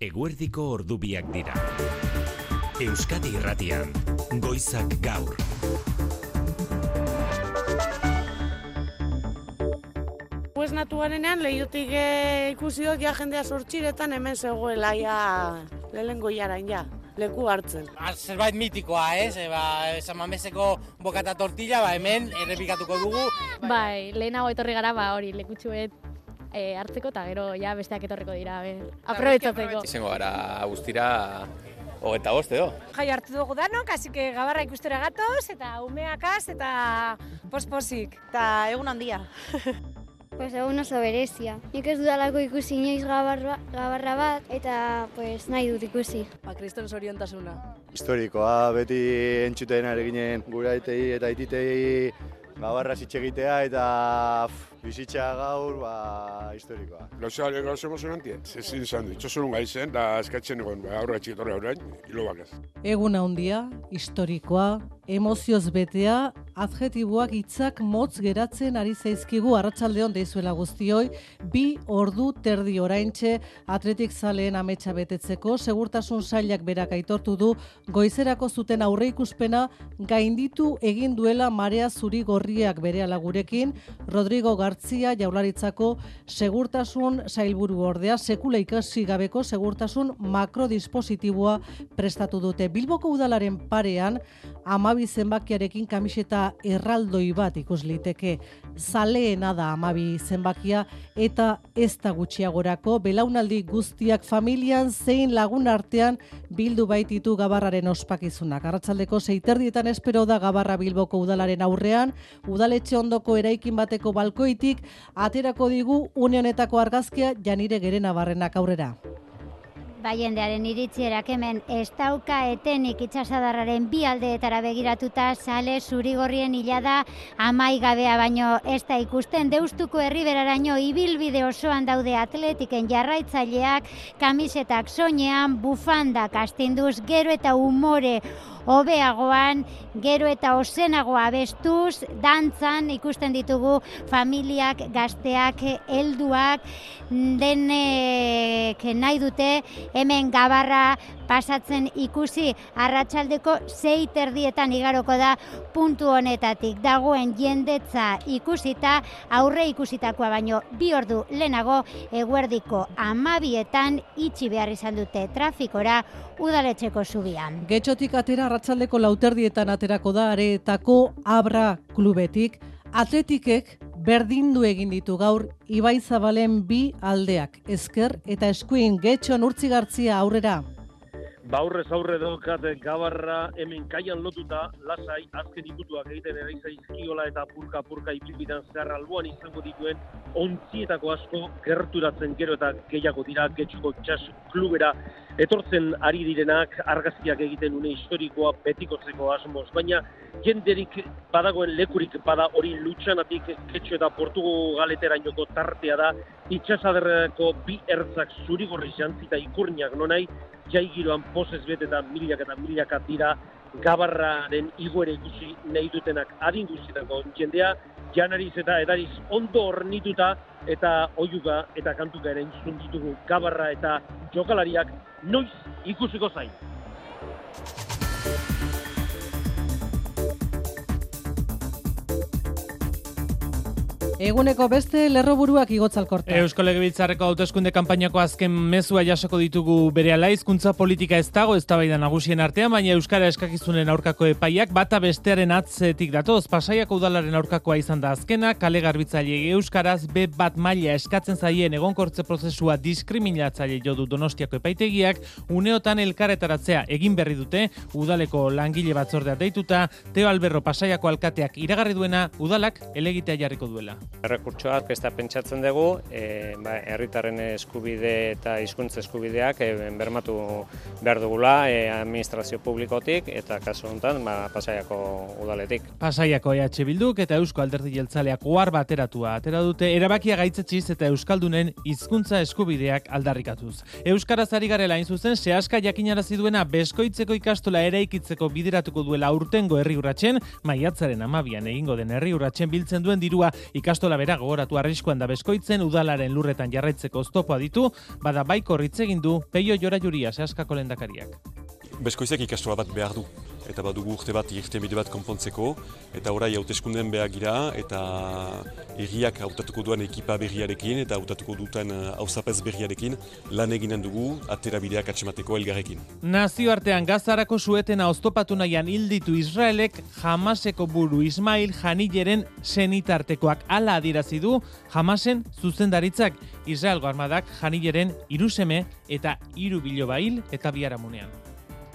Eguerdiko ordubiak dira. Euskadi Irratian, Goizak Gaur. Pues natuarenean lehiotik ikusi dut ja jendea sortxiretan hemen zegoela ja lehengo jarain ja. Leku hartzen. Zerbait mitikoa, San Mameseko bokata tortilla, hemen errepikatuko dugu. Bai, lehenago etorri gara, hori lekutxuet hartzeko eta gero ja besteak etorriko dira, aprobetxatzeko. Izango gara guztira 25 edo. Jai hartu dugu danok, así que gabarra ikustera gatoz eta umeakaz eta posposik. Eta egun handia. Pues egun oso berezia. Nik ez dudalako ikusi inoiz gabarra bat eta pues nahi dut ikusi. Kriston zoriontasuna. Historikoa, beti entzuten ari ginen gure aitei eta aititei gabarra zitxegitea eta bizitza gaur, historikoa. Gauza emozionantia. Zezin izan du, itxosun gaizen, da eskatzen egon aurra txikitorra horrein, hilo bakaz. Egun handia, historikoa, emozioz betea, adjetiboak hitzak motz geratzen ari zaizkigu arratsaldeon deizuela guztioi, 2 ordu terdi oraintxe atletik zaleen ametsa betetzeko, segurtasun sailak berak aitortu du goizerako zuten aurreikuspena gainditu egin duela marea zuri gorriak berehala gurekin. Rodrigo Gartzia Jaurlaritzako segurtasun sailburu ordea sekula ikasi gabeko segurtasun makrodispositiboa prestatu dute. Bilboko udalaren parean 12 zenbakiarekin kamiseta erraldoi bat ikus liteke. Zaleena da 12 zenbakia eta ez da gutxiagorako belaunaldi guztiak familian zein lagun artean bildu baititu gabarraren ospakizunak. Arratsaldeko 6:30 espero da Gabarra Bilboko udalaren aurrean, udaletxe ondoko eraikin bateko balkoitik aterako digu une honetako argazkia Janire Gerena Barrenak aurrera. Jendearen iritzierak hemen ez dauka etenik itsasadarraren bi aldeetara begiratuta sale zurigorrien hilada amaigabea baino ez da ikusten. Deustuko herriberaraino ibilbide osoan daude atletiken jarraitzaileak, kamisetak soinean, bufandak astinduz, gero eta umore hobeagoan, gero eta ozenagoa abestuz, dantzan ikusten ditugu familiak, gazteak, helduak, denek nahi dute hemen Gabarra pasatzen ikusi. Arratsaldeko 6:30 igaroko da puntu honetatik. Dagoen jendetza ikusita, aurre ikusitakoa baino 2 ordu lehenago eguerdiko 12etan itxi behar izan dute trafikora udaletxeko zubian. Getxotik atera arratsaldeko 4:00 aterako da Areetako Abra klubetik. Atletikek berdindu egin ditu gaur Ibai Zabalen 2 aldeak, ezker eta eskuin. Getxon Urtzigartzia aurrera. Aurrez aurre daukat Gabarra hemen kaian lotuta, lasai, azken ikutuak egiten eraizkiola eta purka ibilbidean zehar alboan izango dituen ontzietako asko gerturatzen gero eta gehiago dira Getxoko Txas klubera etortzen ari direnak argazkiak egiten une historikoa betikotzeko asmoz, baina jenderik badagoen lekurik bada hori Lutxanatik Getxo eta Portugaleterainoko tartea da, itsasaderreko 2 ertzak zurigorri jantzita ikurniak nonai, jaigiroan pozez bete eta milaka dira Gabarraren igoera ikusi nahi dutenak adin guztietako jendea, janariz eta edariz ondo hornituta eta oiuga eta kantuka ere entzun ditugu Gabarra eta jokalariak noiz ikusiko zain. Eguneko beste lerroburuak igotzalkorta. Eusko Legebiltzarreko hauteskunde kanpainako azken mezua jasoko ditugu berehala. Hizkuntza politika ez dago eztabaida nagusien artean, baina euskara eskakizunen aurkako epaiak bata bestearen atzetik datoz. Pasaiako udalaren aurkakoa izan da azkena, kale garbitzailei euskaraz B1 maila eskatzen zaien egonkortze prozesua diskriminatzaile jo du Donostiako epaitegiak, uneotan elkarretaratzea egin berri dute, udaleko langile batzordea deituta, Teo Alberro Pasaiako alkateak iragarri duena, udalak helegitea jarriko duela. Errekurtsoa aurkeztea pentsatzen dugu, herritarren eskubide eta hizkuntza eskubideak bermatu behar dugula administrazio publikotik eta kasu honetan Pasaiako udaletik. Pasaiako EH Bilduk eta Eusko Alderdi Jeltzaleak ohar bateratua atera dute erabakia gaitzetxiz eta euskaldunen hizkuntza eskubideak aldarrikatuz. Euskaraz ari garela hain zuzen sehaska jakinarazi duena Beskoitzeko ikastola eraikitzeko bideratuko duela aurtengo herri urratsen, maiatzaren 12an egingo den herri urratsen biltzen duen dirua ikastola Ikastola bera gogoratu arriskuan da Beskoitzen udalaren lurretan jarraitzeko oztopoa ditu, bada baikor hitz egin du Peio Jorajuria Seaskako lehendakariak. Beskoizek ikastola bat behar du, eta badugu urte bat irtenbide bat konpontzeko, eta orai hauteskundeen behar gira, eta herriak hautatuko duen ekipa berriarekin, eta hautatuko duten hauzapez berriarekin, lan eginen dugu, aterabideak atxemateko elgarrekin. Nazioartean Gazarako suetena oztopatu nahian hilditu Israelek Hamaseko buru Ismail Haniyeren senitartekoak hala adierazi du Hamasen zuzendaritzak. Israelgo armadak Haniyeren 3 seme eta 3 biloba hil eta biharamunean.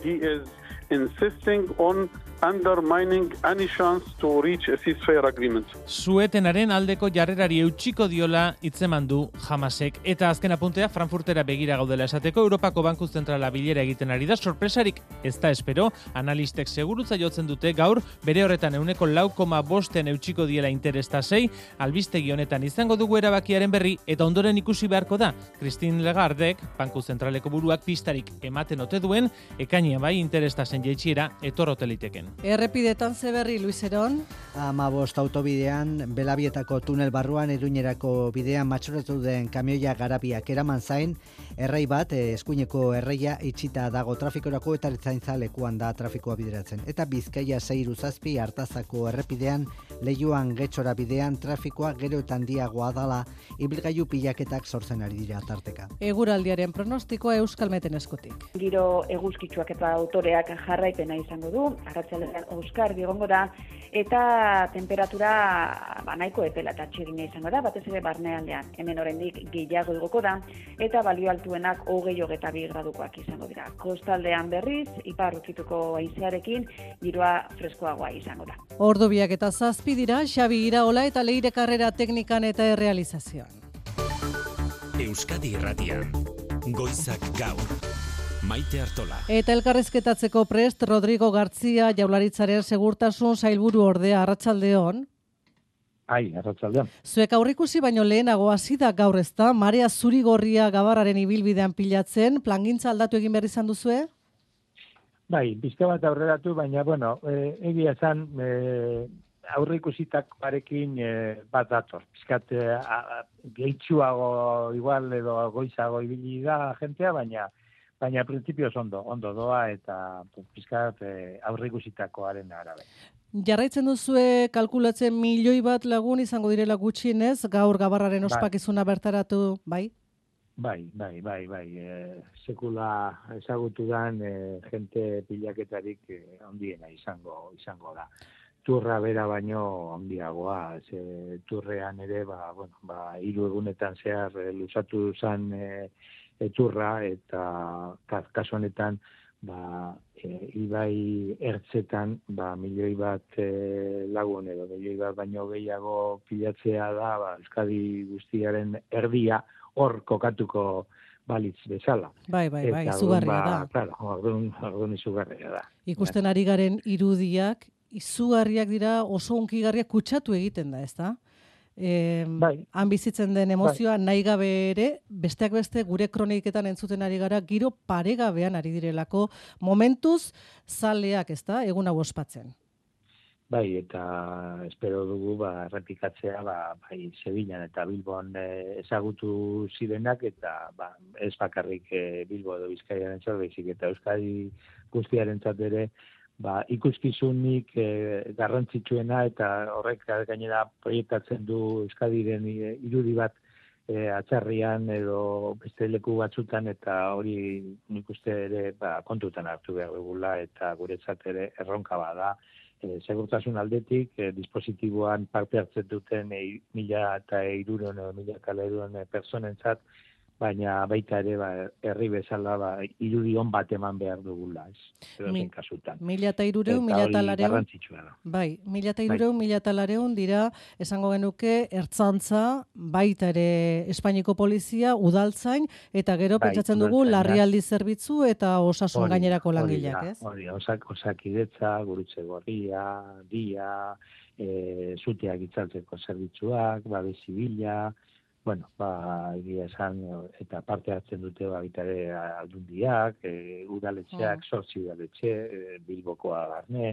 He is insisting on undermining any chance to reach a ceasefire agreement. Suetenaren aldeko jarrerari eutxiko diola hitzeman du Hamasek. Eta azken apuntea Frankfurtera begira gaudela esateko Europako Banku Zentrala bilera egiten ari da, sorpresarik ez da espero, analistek segurutza jotzen dute gaur, bere horretan 4,5 eutxiko diela interestasei, albistegi honetan izango dugu erabakiaren berri, eta ondoren ikusi beharko da. Christine Lagardek, Banku Zentraleko buruak pistarik ematen ote duen, ekainean bai interestasen jaitsiera etorrote liteken. Errepidetan zeberri, Luis Eron. 15 autobidean, Belabietako tunel barruan, Iruñerako bidean matxuratu den kamioia garabiak eraman zain, errei bat, eskuineko erreia itxita dago trafikorako eta ertzaintza lekuan da trafikoa bideratzen. Eta Bizkaia 6 Artazako errepidean, Leioan Getxora bidean trafikoa gero eta handiagoa dala, ibilgailu pilaketak sortzen ari dira tarteka. Eguraldiaren pronostikoa Euskalmeten eskutik. Giro eguzkitsuak eta autoreak jarraipena izango du, arratsaldean euskarri egongo da, eta temperatura nahiko epela eta txirina izango da, batez ere barnealdean. Hemen oraindik gehiago igoko da, eta balio altuenak 20-22 gradukoak izango dira. Kostaldean berriz, ipar ukituko haizearekin, giroa freskoagoa izango da. Ordu 2:07 dira, Xabi Iraola eta Leire Karrera teknikan eta errealizazioan. Euskadi Irratian, Goizak Gaur. Maite Artola. Eta elkarrizketatzeko prest Rodrigo Gartzia Jaurlaritzaren segurtasun sailburu ordea, arratsaldeon. Arratsaldeon. Zuek aurrikusi baino lehenago hasi da gaur ezta, marea zuri-gorria Gabarraren ibilbidean pilatzen, plangintza aldatu egin behar izan duzue? Bai, pizka bat aurreratu, baina, egia esan, aurrikusitak parekin bat dator. Pizkat gehitxuago igual edo goizago ibili da jentea, baina printzipioz ondo doa eta pizkat aurrikusitakoaren arabera. Jarraitzen duzue kalkulatzen 1 milioi bat lagun izango direla gutxienez, gaur Gabarraren ospakizuna bertaratu, bai? Bai. Sekula ezagutudan jente pilaketarik handiena izango da. Turra bera baino handiagoa, turrean ere, 3 egunetan zehar luzatu zen turra eta kasu honetan ibai ertzetan 1 milioi bat lagun edo 1 milioi bat baino gehiago pilatzea da Euskadi guztiaren erdia hor kokatuko balitz bezala. Bai, izugarria da. Claro, orduan izugarria da. Ikusten ari garen irudiak, izugarriak dira, oso hunkigarriak kutsatu egiten da, ezta? Han bizitzen den emozioa nahi gabe ere, besteak beste gure kroniketan entzuten ari gara, giro paregabean ari direlako, momentuz zaleak, ezta, egun hau ospatzen. Bai, eta espero dugu errepikatzea bai Sevillan eta Bilbon ezagutu zirenak eta ez bakarrik Bilbo edo Bizkaiarentzat, baizik eta Euskadi guztiarentzat ere ikuskizunik garrantzitsuena eta horrek gainera proiektatzen du Euskadiren irudi bat atzarrian edo beste leku batzutan eta hori nik uste ere kontutan hartu behar dugula eta guretzat ere erronka bada. Segurtasun aldetik, dispositiboan parte hartzen duten 1.300 edo 1.400 personentzat, baina baita ere herri bezala irudi on bat eman behar dugula, ez? Edozein kasutan. 1.300, 1.400. Bai, 1.300, 1.400 dira, esango genuke, ertzantza, baita ere Espainiko polizia, udaltzain, eta gero pentsatzen dugu larrialdi zerbitzu eta osasun gainerako langileak, ez? Hori, osakidetza, gurutze gorria, dia, zuteak itzaltzeko zerbitzuak, babes zibila, egia esan, eta parte hartzen dute baita ere aldundiak, udaletxeak, 8 udaletxe, Bilbokoa barne,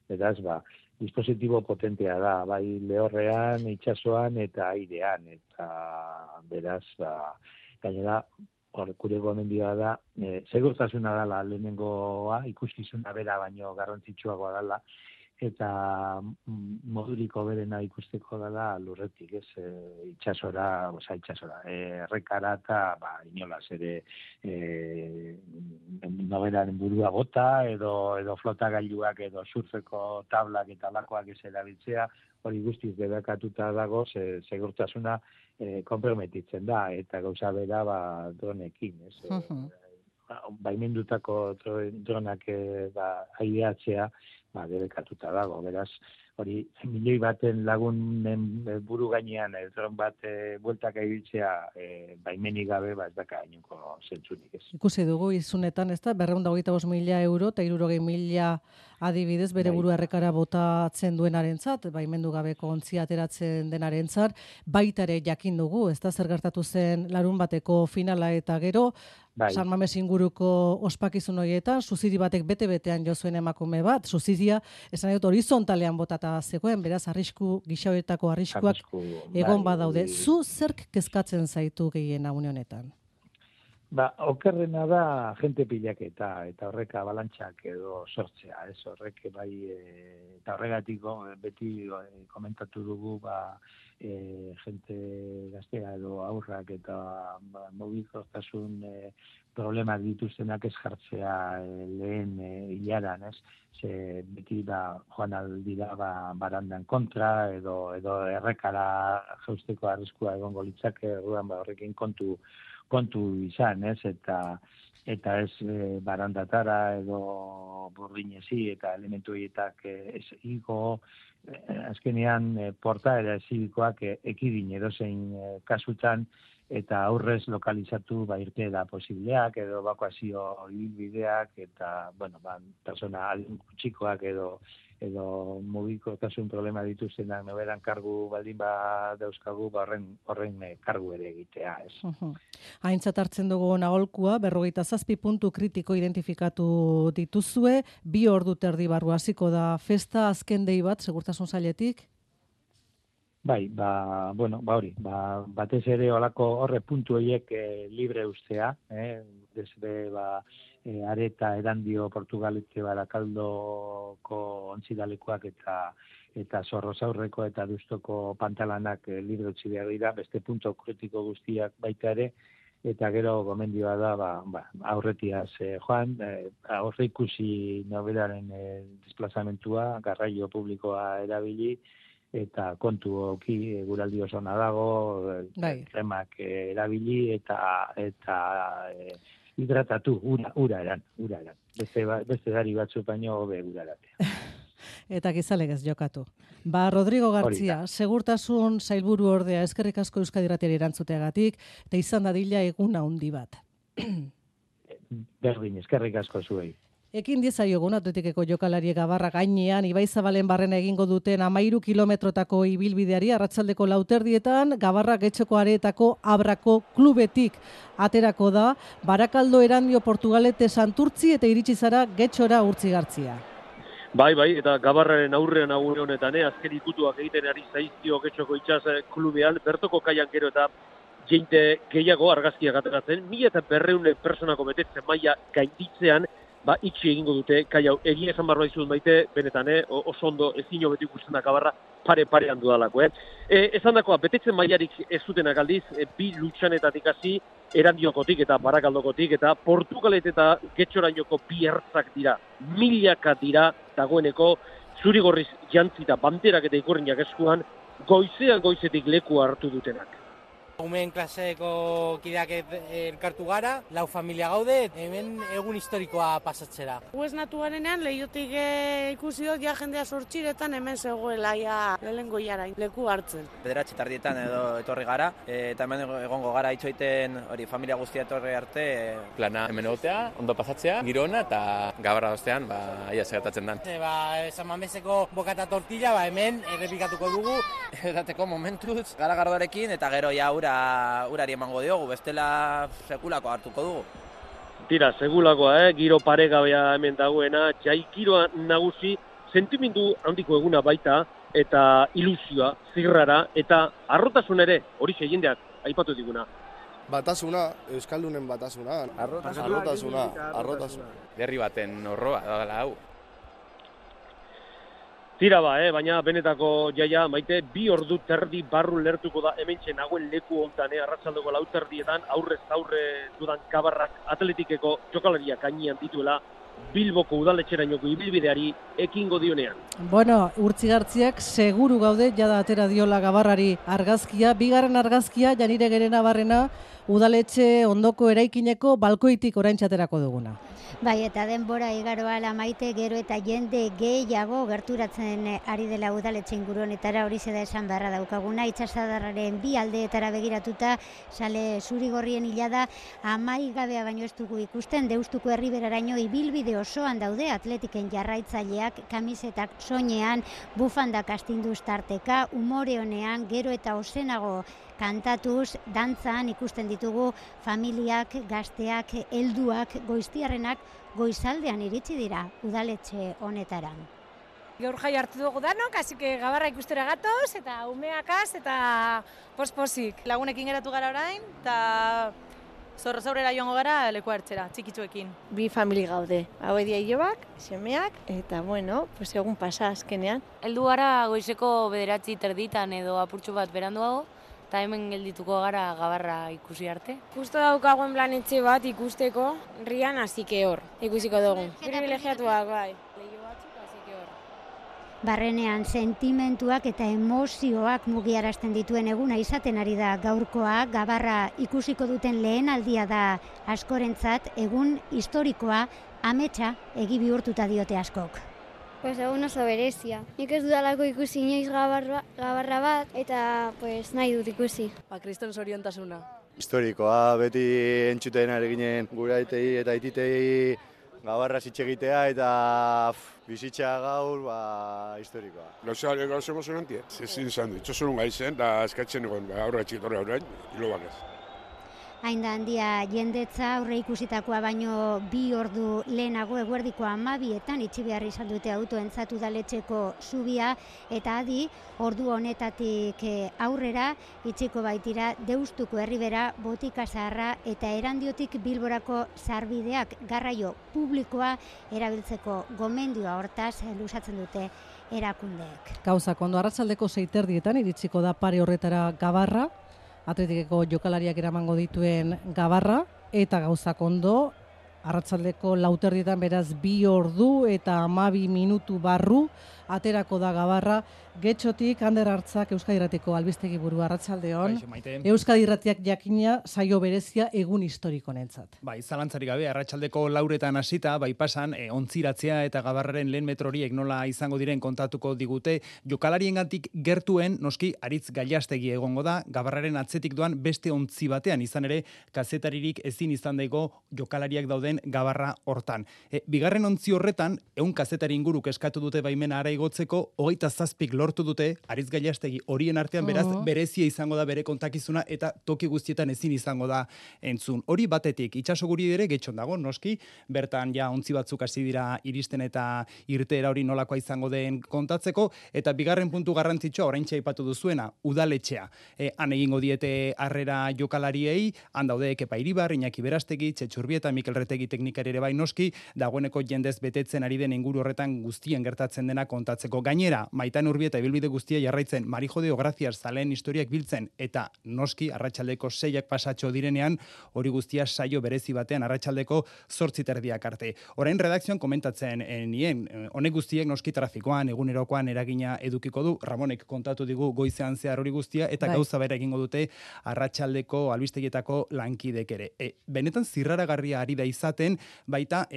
Beraz, dispositibo potentea da, bai lehorrean, itsasoan eta airean, eta beraz, gainera, gure gomendioa da, segurtasuna dela lehenengoa, ikuskizuna bera baino garrantzitsuagoa dela, eta moduriko berena ikusteko dela lurretik, itxasora, errekara eta inolaz ere noberaren burua bota, edo flotagailuak, edo surfeko tablak eta lakoak ez erabiltzea, hori guztiz debekatuta dago, segurtasuna konprometitzen da, eta gauza bera dronekin, baimendutako dronak aireatzea, debekatuta dago, beraz, hori milioi baten lagunen buru gainean dron bat bueltak ibiltzea baimenik gabe ez daka inungo zentzunik ez. Ikusi dugu izunetan, ez da, 225.000 euro eta 60.000 adibidez bere burua errekara botatzen duenarentzat, baimendu gabeko ontzia ateratzen denarentzat, baita ere jakin dugu, ez da, zer gertatu zen larun bateko finala eta gero, San Mames inguruko ospakizun horietan, suziri batek bete-betean jo zuen emakume bat, suziria, esan dut, horizontalean botata zegoen, beraz, gixauetako arriskuak egon badaude. Zu zerk kezkatzen zaitu gehien une honetan? Okerrena da jente pilaketa eta horrek abalantxak edo sortzea, horrek eta horregatiko beti komentatu dugu jente gaztea edo aurrak eta mugikortasun problemak dituztenak ez jartzea lehen hilaran, beti joan aldira barandan kontra edo errekara jausteko arriskua egongo litzake, horrekin kontu izan, eta ez barandatara edo burdinezi eta elementu horietak ez igo, azkenean portaera zibikoak ekidin edozein kasutan, eta aurrez lokalizatu irte da posibleak, edo ebakuazio ibilbideak, eta, persona txikoak edo mugikotasun problema dituztenak noberan kargu baldin dauzkagu, horren kargu ere egitea, ez. Aintzat hartzen dugu aholkua, 47 puntu kritiko identifikatu dituzue, 2 ordu terdi barru hasiko da festa, azken dei bat, segurtasun sailetik? Bai, hori, batez ere olako horre puntu horiek libre ustea, desde Areta, Erandio, Portugalete, Barakaldoko ontzidalekuak eta Zorrozaurreko eta Dustoko pantalanak libre utzi behar dira, beste punto kritiko guztiak baita ere, eta gero gomendioa da, aurretiaz joan, aurre ikusi nobelaren desplazamentua, garraio publikoa erabili, eta kontu oki guraldi oso dago, remak erabili eta hidratatu, ura eran. Beste dari batzu baino hobe ura eratea. Eta gizalegez jokatu. Rodrigo Gartzia, segurtasun sailburu ordea, eskerrik asko Euskadi Irratiari erantzuteagatik, eta izan dadila eguna handi bat. Berdin, eskerrik asko zuei. Ekin diezaiogun Atletikeko jokalari Gabarra gainean, Ibaizabalen barrena egingo duten 13 kilometrotako ibilbideari arratsaldeko 4:00 Gabarra Getxoko Areetako Abrako klubetik aterako da, Barakaldo, Erandio, Portugalete, Santurtzi eta iritsi zara Getxora Urtzigartzia. Bai, eta Gabarraren aurrean agune honetan, azken ikutuak egiten ari zaizkio Getxoko itsas klubean, bertoko kaian gero eta jente gehiago argazkiak ateratzen, 1200 personako betetzen maila gainditzean, itxi egingo dute, kai hau, egia esan barba dizut Maite, benetan, oso ondo ezin hobeti ikusten da Gabarra pare-parean dudalako. Esan dakoa, betetzen mailarik ez zutenak aldiz, 2 lutsanetatik hasi, Erandiokotik eta Barakaldokotik, eta Portugalet eta Getxorainoko 2 ertzak dira, milaka dira dagoeneko, zurigorriz jantzita banderak eta ikurriak eskuan, goizetik leku hartu dutenak. Umeen klaseko kideak elkartu gara, 4 familia gaude, hemen egun historikoa pasatzera. Huez natuarenean lehiotik ikusi dut jendea sortxiretan hemen zegoela lehengo jarain leku hartzen. 9:00 edo etorri gara, eta hemen egongo gara itxoiten hori familia guztia etorri arte. Plana hemen egotea, ondo pasatzea, girona eta Gabarra ostean, ia segertatzen dan. San Mameseko bokata tortilla, hemen errepikatuko dugu. Edateko momentuz, garagardoarekin eta gero urari emango diogu, bestela sekulako hartuko dugu. Tira, segulakoa, giro paregabea hemen dagoena, jai giroa nagusi sentimendu handiko eguna baita, eta ilusioa, zirrara, eta arrotasun ere, hori jendeak aipatu diguna. Batasuna, Euskaldunen batasuna, arrotasuna. Berri baten horroa, da hau. Tira baina benetako jaia, Maite, 2 ordu terdi barru lertuko da hementxe nagoen leku hontan, arratsaldeko 4 terdietan, aurrez aurre dudan Gabarrak atletikeko jokalariak gainean dituela, Bilboko udaletxerainoko ibilbideari ekingo dionean. Bueno, Urtzigartziak seguru gaude, jada atera diola Gabarrari argazkia, 2. argazkia, Janire Gerena Barrena, udaletxe ondoko eraikineko balkoitik oraintxe aterako duguna. Bai, eta denbora igaroa Maite, gero eta jende gehiago gerturatzen ari dela udaletxe inguru honetara, hori da esan beharra daukaguna, itsasadarraren 2 aldeetara begiratuta, sale zurigorrien hilada amaigabea baino ez dugu ikusten, Deustuko herriberaraino ibilbide osoan daude atletiken jarraitzaileak, kamisetak soinean, bufandak astinduz tarteka, umore honean, gero eta osenago kantatuz, dantzan ikusten ditugu familiak, gazteak, helduak, goiztiarrenak goizaldean iritsi dira udaletxe honetaran. Gaur jai hartu dugu danok, hasi que Gabarra ikustera gatoz, eta umeakaz, eta pospozik. Lagunekin geratu gara orain, eta zorrozaurera joango gara leku hartzera, txikitzuekin. 2 famili gaude, hau edia hilobak, semeak, eta bueno, pues egun pasa azkenean. Heldu gara goizeko 9 terditan edo apurtxo bat beranduago, eta hemen geldituko gara Gabarra ikusi arte. Justo daukagoen planetxe bat ikusteko, rian hasike hor, ikusiko dugu. Privilegiatuak, bai. Barrenean sentimentuak eta emozioak mugiarazten dituen eguna izaten ari da gaurkoa, Gabarra ikusiko duten lehen aldia da askorentzat, egun historikoa, ametsa egi bihurtuta diote askok. Pues egun oso berezia. Nik ez dudalako ikusi inoiz Gabarra bat, eta pues nahi dut ikusi. Kriston zoriontasuna. Historikoa, beti entzuten ari ginen gure aitei eta aititei Gabarra zitxegitea eta bizitza gaur, historikoa. Gauza emozionantia. Zezin izan du, itxosun gaizen, da eskatzen egon, aurra txitorra orain, hilobak ez. Hain da handia jendetza aurre ikusitakoa baino 2 ordu lehenago eguerdiko 12etan itxi behar izan dute autoentzat udaletxeko zubia, eta adi ordu honetatik aurrera itxiko baitira Deustuko herribera, Botika Zaharra eta Erandiotik Bilborako sarbideak garraio publikoa erabiltzeko gomendioa hortaz luzatzen dute erakundeek. Gauzak ondo, arratsaldeko 6 terdietan iritsiko da pare horretara Gabarra, atletikeko jokalariak eramango dituen Gabarra, eta gauzak ondo, arratsaldeko 4 terdietan beraz 2 ordu eta 12 minutu barru aterako da Gabarra, Getxotik, Ander Hartzak, Euskadi Irratiko albistegi burua, arratsaldeon. Euskadi Irratiak jakina saio berezia egun historiko honentzat. Bai, zalantzarik gabe, arratsaldeko 4etan hasita, bai pasan, ontziratzea eta Gabarraren lehen metro horiek nola izango diren kontatuko digute, jokalariengandik gertuen, noski, Aritz Gailastegi egongo da, Gabarraren atzetik doan beste ontzi batean, izan ere, kazetaririk ezin izan dago jokalariak dauden Gabarra hortan. Bigarren ontzi horretan, 100 kazetari inguruk eskatu dute baimena ara igotzeko, 27 lortu dute, Aritz Gailastegi horien artean, beraz, berezia izango da bere kontakizuna eta toki guztietan ezin izango da entzun. Hori batetik, itxaso guri ere getxon dago, noski, bertan ja ontzi batzuk hasi dira iristen eta irteera hori nolakoa izango den kontatzeko, eta bigarren puntu garrantzitsua, oraintxe aipatu duzuena, udaletxea. Han egingo diete harrera jokalariei, han daude Kepa Iribar, Iñaki Berastegi, Txetxurbieta, Mikel Retegi teknikari ere bai noski, dagoeneko jendez betetzen ari den inguru horretan guztien gertatzen dena kontatzeko. Gainera, Maitan Urbieta ibilbide guztia jarraitzen, Marijodeo Grazias zaleen historiak biltzen, eta noski arratsaldeko 6ak pasatxo direnean, hori guztia saio berezi batean arratsaldeko 8 terdiak arte. Orain redakzioan komentatzen nien, honek guztiek noski trafikoan, egunerokoan eragina edukiko du, Ramonek kontatu digu goizean zehar hori guztia, eta gauza bera egingo dute arratsaldeko albistegietako lankidek ere. Benetan zirraragarria ari da izaten, baita,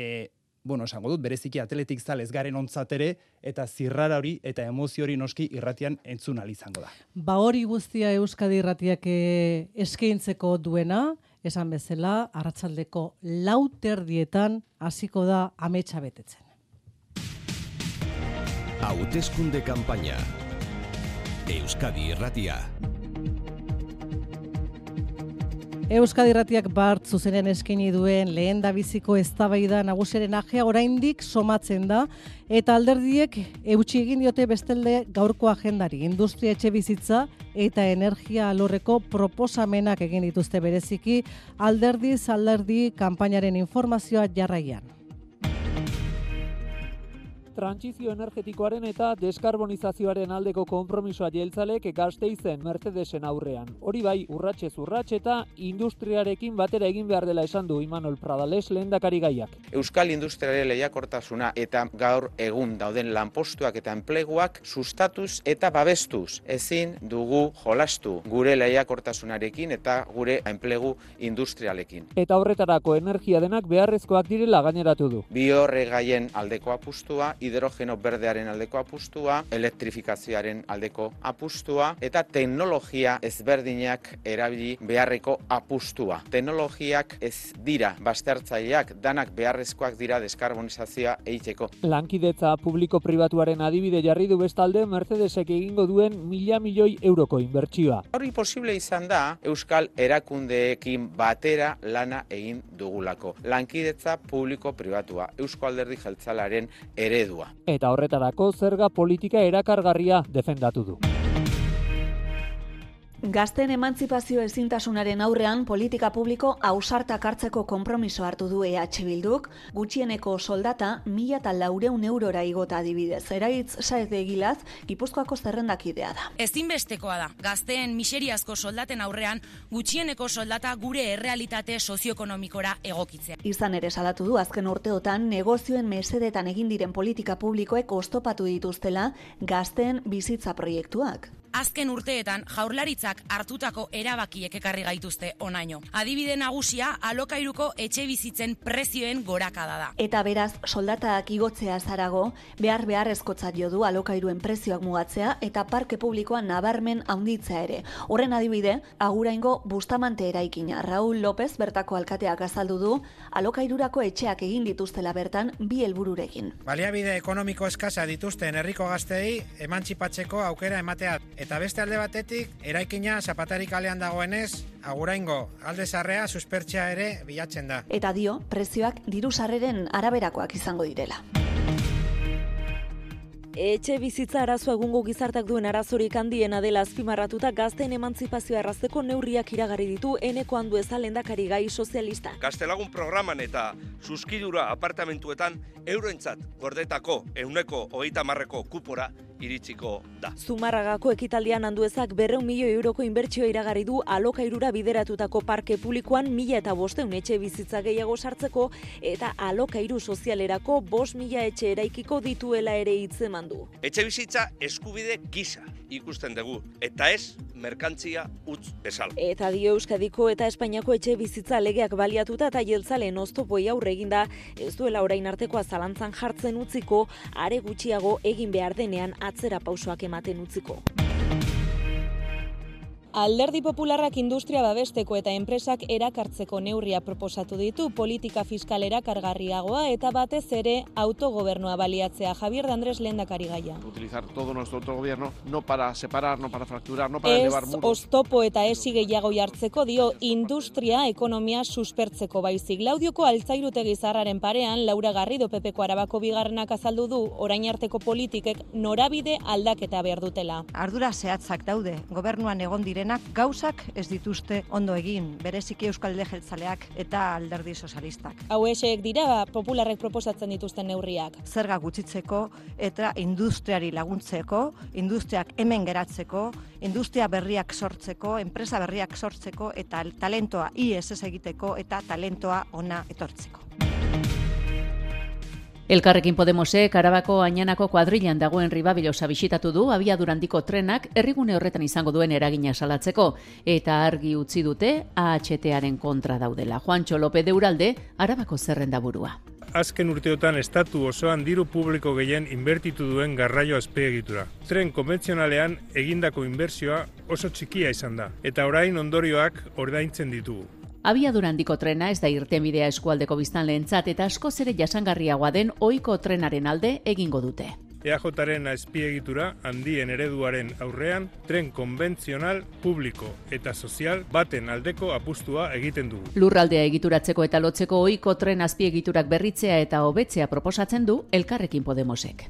esango dut, bereziki atletik zalez garen ontzat ere, eta zirrara hori eta emozio hori noski irratian entzun ahal izango da. Ba hori guztia Euskadi Irratiak eskaintzeko duena, esan bezala, arratsaldeko 4 terdietan hasiko da ametsa betetzen. Hauteskunde kanpaina. Euskadi Irratia. Euskadi Irratiak bart zuzenean eskaini duen lehendabiziko eztabaida nagusiaren ajea oraindik somatzen da eta alderdiek eutsi egin diote bestalde gaurko agendari. Industria, etxebizitza eta energia alorreko proposamenak egin dituzte bereziki alderdi kanpainaren informazioa jarraian. Trantsizio energetikoaren eta deskarbonizazioaren aldeko konpromisoa jeltzalek Gasteizen Mercedesen aurrean. Hori bai, urratsez urrats eta industriarekin batera egin behar dela esan du Imanol Pradales lehendakari gaiak. Euskal industriaren lehiakortasuna eta gaur egun dauden lanpostuak eta enpleguak sustatuz eta babestuz. Ezin dugu jolastu gure lehiakortasunarekin eta gure enplegu industrialekin. Eta horretarako energia denak beharrezkoak direla gaineratu du. Biorregaien aldeko apustua, hidrogeno berdearen aldeko apustua, elektrifikazioaren aldeko apustua eta teknologia ezberdinak erabili beharreko apustua. Teknologiak ez dira baztertzaileak, danak beharrezkoak dira deskarbonizazioa egiteko. Lankidetza publiko-pribatuaren adibide jarri du bestalde Mercedesek egingo duen 1.000 milioi euroko inbertsioa. Hori posible izan da Euskal erakundeekin batera lana egin dugulako. Lankidetza publiko-pribatua, Eusko Alderdi Jeltzalearen eredua. Eta horretarako zerga politika erakargarria defendatu du. Gazteen emantzipazio ezintasunaren aurrean politika publiko ausartak hartzeko konpromiso hartu du EH Bilduk, gutxieneko soldata 1.400 eurora igota adibidez. Eraitz Saez de Egilaz, Gipuzkoako zerrendakidea da. Ezinbestekoa da, gazteen miseriazko soldaten aurrean gutxieneko soldata gure errealitate sozioekonomikora egokitzea. Izan ere salatu du azken urteotan negozioen mesedetan egin diren politika publikoek oztopatu dituztela gazteen bizitza proiektuak. Azken urteetan jaurlaritzak hartutako erabakiek ekarri gaituzte onaino. Adibide nagusia alokairuko etxe bizitzen prezioen gorakada da. Eta beraz, soldatak igotzea zarago, beharrezkotzat jo du alokairuen prezioak mugatzea eta parke publikoa nabarmen handitzea ere. Horren adibide, Aguraingo Bustamante eraikina. Raúl López bertako alkateak azaldu du, alokairurako etxeak egin dituztela bertan bi helbururekin. Baliabide ekonomiko eskasa dituzten herriko gazteei emantzipatzeko aukera ematea. Eta beste alde batetik, eraikina Zapatari kalean dagoenez, Aguraingo alde zarrea suspertzea ere bilatzen da. Eta dio, prezioak diru sarreren araberakoak izango direla. Etxe bizitza arazoa egungo gizartak duen arazorik handiena dela azpimarratuta gazteen emantzipazioa errazteko neurriak iragarri ditu Eneko Andueza lehendakari gai sozialista. Gaztelagun programan eta suskidura apartamentuetan euroentzat gordetako 130% kupora iritsiko da. Zumarragako ekitaldian Anduezak 200 milioi euroko inbertsioa iragarri du alokairura bideratutako parke publikoan 1.500 etxe bizitza gehiago sartzeko eta alokairu sozialerako 5.000 etxe eraikiko dituela ere hitzeman du. Etxe bizitza eskubide gisa ikusten dugu eta ez merkantzia utz bezala. Eta dio Euskadiko eta Espainiako etxe bizitza legeak baliatuta eta jeltzaleen oztopoi aurre eginda ez duela orain artekoa zalantzan jartzen utziko, are gutxiago egin behar denean atzera pausoak ematen utziko. Alderdi Popularrak industria babesteko eta enpresak erakartzeko neurria proposatu ditu, politika fiskalera kargarriagoa eta batez ere autogobernua baliatzea. Javier de Andrés lehendakari gaia. Utilizar todo nuestro autogobierno no para separar, no para fracturar, no para elevar muros. Ez oztopo eta esi gehiago jartzeko dio industria ekonomia suspertzeko baizik. Laudioko Altzairutegi Zaharraren parean Laura Garrido PPko Arabako bigarrenak azaldu du orain arteko politikek norabide aldaketa behar dutela. Ardura zehatzak daude, gobernuan egon diren gauzak ez dituzte ondo egin, bereziki Euskal Alderdi Jeltzaleak eta Alderdi Sozialistak. Hauexek dira popularrek proposatzen dituzten neurriak. Zerga gutxitzeko eta industriari laguntzeko, industriak hemen geratzeko, industria berriak sortzeko, enpresa berriak sortzeko eta talentoa ies ez egiteko eta talentoa ona etortzeko. Elkarrekin Podemosek Arabako Añanako kuadrilan dagoen Ribabilosa bisitatu du abiadura handiko trenak herrigune horretan izango duen eragina salatzeko eta argi utzi dute AHT-aren kontra daudela. Juancho López de Uralde, Arabako zerrendaburua. Azken urteotan estatu osoan diru publiko gehien inbertitu duen garraio azpiegitura. Tren konbentzionalean egindako inbertsioa oso txikia izan da eta orain ondorioak ordaintzen ditugu. Abiadura handiko trena ez da irtenbidea eskualdeko biztanleentzat eta askoz ere jasangarriagoa den ohiko trenaren alde egingo dute. EAJaren azpiegitura handien ereduaren aurrean tren konbentzional, publiko eta sozial baten aldeko apustua egiten dugu. Lurraldea egituratzeko eta lotzeko ohiko tren azpiegiturak berritzea eta hobetzea proposatzen du Elkarrekin Podemosek.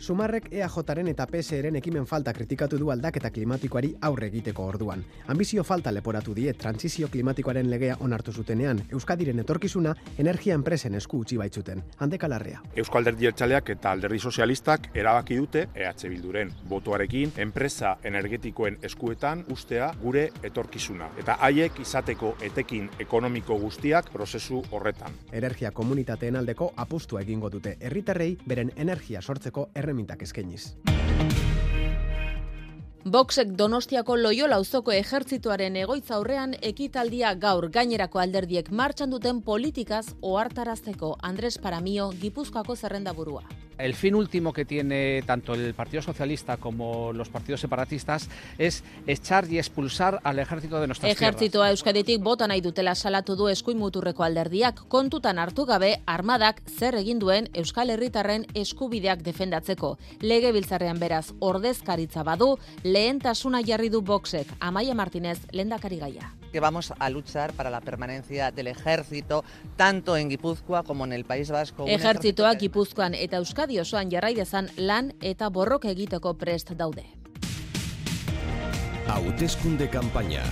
Sumarrek EAJaren eta PSeren ekimen falta kritikatu du aldaketa klimatikoari aurre egiteko orduan. Ambizio falta leporatu die trantsizio klimatikoaren legea onartu zutenean, Euskadiren etorkizuna energia enpresen esku utzi baitzuten. Handeka Larrea. Eusko Alderdi Jeltzaleak eta Alderdi Sozialistak erabaki dute EH Bilduren botoarekin enpresa energetikoen eskuetan ustea gure etorkizuna. Eta haiek izateko etekin ekonomiko guztiak prozesu horretan. Energia komunitateen aldeko apustua egingo dute herritarrei beren energia sortzeko mintak eskainiz. Voxek Donostiako Loiola auzoko ejertzituaren egoitza aurrean ekitaldia gaur gainerako alderdiek martxan duten politikaz ohartarazteko. Andrés Paramio, Gipuzkoako zerrendaburua. El fin último que tiene tanto el Partido Socialista como los partidos separatistas es echar y expulsar al ejército de nuestras tierras. Ejertzitoa Euskaditik bota nahi dutela salatu du eskuin muturreko alderdiak, kontutan hartu gabe armadak zer egin duen Euskal Herritarren eskubideak defendatzeko. Legebiltzarrean beraz ordezkaritza badu, lehentasuna jarri du Voxek. Amaia Martínez, lehendakari gaia. Que vamos a luchar para la permanencia del ejército tanto en Gipuzkoa como en el País Vasco. Ejertzitoak Gipuzkoan eta Euskadi osoan jarrai dezan lan eta borroka egiteko prest daude. Hauteskunde kanpaina.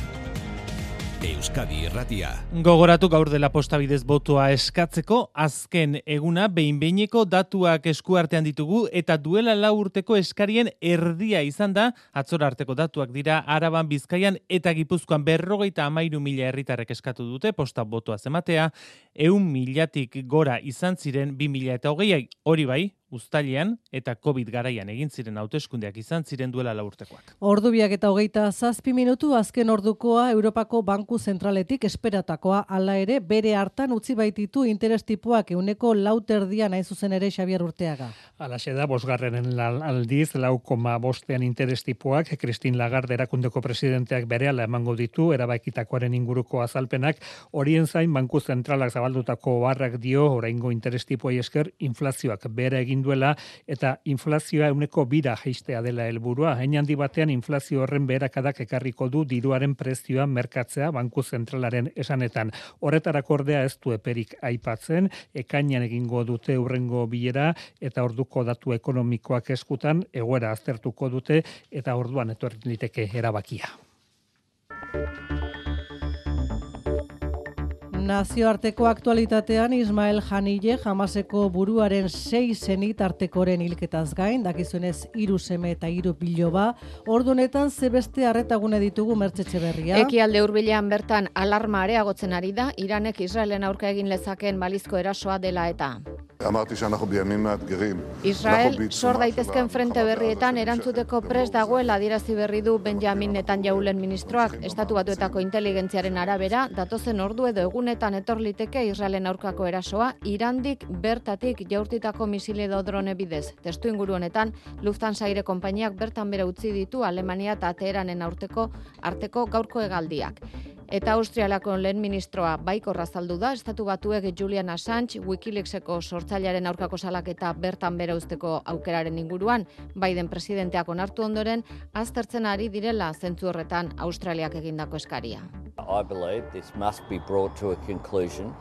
Euskadi Irratia. Gogoratu gaur dela postabidez botoa eskatzeko, azken eguna behin-behineko datuak eskuartean ditugu eta duela 4 urteko eskarien erdia izan da, atzora arteko datuak dira Araban, Bizkaian eta Gipuzkoan 53.000 herritarrek eskatu dute posta botoa zematea, 100.000tik gora izan ziren 2020, hori bai, uztailean eta COVID garaian egin ziren hauteskundeak izan ziren duela 4 urtekoak. Ordubiak eta 27 minutu azken ordukoa Europako Banku Zentraletik esperatakoa hala ere bere hartan utzi baititu interes tipoak 4,4 nahi zuzen ere Xabier Urteaga. Alaxe da, 5. aldiz 4,5 interes tipoak Christine Lagarde erakundeko presidenteak berehala emango ditu erabakitakoaren inguruko azalpenak, horien zain Banku Zentralak zabaldutako barrak dio oraingo interes tipoei esker inflazioak bere egin duela eta inflazioa 2% jaistea dela helburua. Hein handi batean inflazio horren beherakadak ekarriko du diruaren prezioa merkatzea Banku Zentralaren esanetan. Horretarako ordea ez du eperik aipatzen, ekainean egingo dute hurrengo bilera eta orduko datu ekonomikoak eskutan egoera aztertuko dute eta orduan etorri liteke erabakia. Nazioarteko aktualitatean Ismael Haniyeh Hamaseko buruaren 6 senitartekoren hilketaz gain, dakizuenez 3 seme eta 3 biloba, ordu honetan zebeste arretagune ditugu Mertzetxe Berria. Ekialde hurbilean bertan alarma areagotzen ari da, Iranek Israelen aurka egin lezakeen balizko erasoa dela eta. Israel sor daitezken frente berrietan erantzuteko prest dagoela adierazi berri du Benjamin Netanyahuren ministroak. Estatu Batuetako inteligentziaren arabera, datozen ordu edo egunetan etor liteke Israelen aurkako erasoa, Irandik bertatik jaurtitako misile edo drone bidez. Testu inguru honetan, Lufthansa aire konpainiak bertan bera utzi ditu Alemania eta Teheranen arteko gaurko hegaldiak. Eta Austrialako lehen ministroa baikorra azaldu da, Estatu Batuek Julian Assange Wikileakseko sortzailearen aurkako salaketa bertan bera uzteko aukeraren inguruan, Biden presidenteak onartu ondoren, aztertzen ari direla zentzu horretan Australiak egindako eskaria. I believe this must be brought to a conclusion.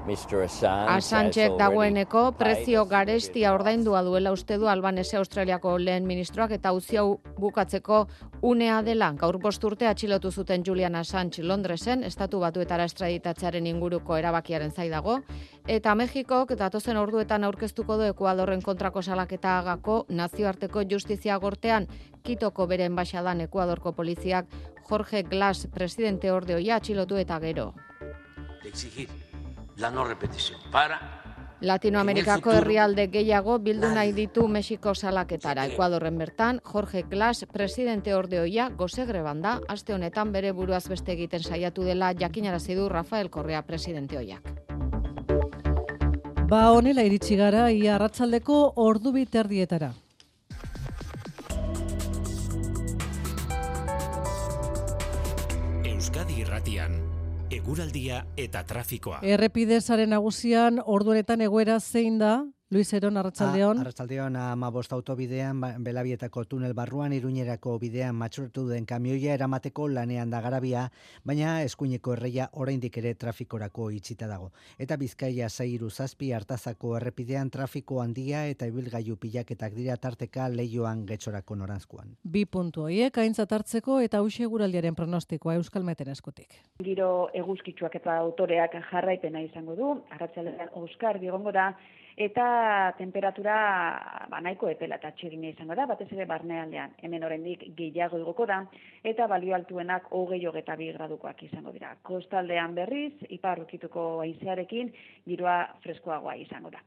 Assangek dagoeneko prezio garestia ordaindua duela uste du Albanese Australiako lehen ministroak eta auzi hau bukatzeko unea dela. Gaur 5 urte atxilotu zuten Julian Assange Londresen, Estatu Batuetara estraditatzearen inguruko erabakiaren zai dago, eta Mexikok datozen orduetan aurkeztuko du Ekuadorren kontrako salaketagako nazioarteko justizia gortean, Kitoko bere enbaxadan Ekuadorko poliziak Jorge Glass presidente ordeoia atxilotu eta gero. La no repetición. Para Latinoamerikako herrialde gehiago bildu nahi ditu Mexiko salaketara. Ekuadorren bertan, Jorge Glass presidente ordeoia gozegreban da, aste honetan bere buruaz beste egiten saiatu dela jakinarazi du Rafael Correa presidente oiak. Ba honela iritsi gara ia arratsaldeko 2:30. Euskadi Irratian. Eguraldia eta trafikoa. Errepide sare nagusian ordu honetan egoera zein da? Luis Eron, arratsaldeon. Arratsaldeon, 15 autobidean, Belabietako tunel barruan, Iruñerako bidean matxurtu den kamioia eramateko lanean da garabia, baina eskuineko erreia oraindik ere trafikorako itxita dago. Eta Bizkaia 6-7 Artazako errepidean trafiko handia eta ibilgailu pilaketak dira tarteka Leioan Getxorako noranzkoan. 2 puntu horiek aintzat hartzeko eta hauxe eguraldiaren pronostikoa Euskalmeten eskutik. Giro eguzkitsuak eta autoreak jarraipena izango du, arratsaldean oskarbi egongo da, eta temperatura nahiko epela eta txirina izango da, batez ere barnealdean. Hemen oraindik gehiago igoko da, eta balio altuenak 20-22 gradukoak izango dira. Kostaldean berriz, ipar ukituko haizearekin, giroa freskoagoa izango da.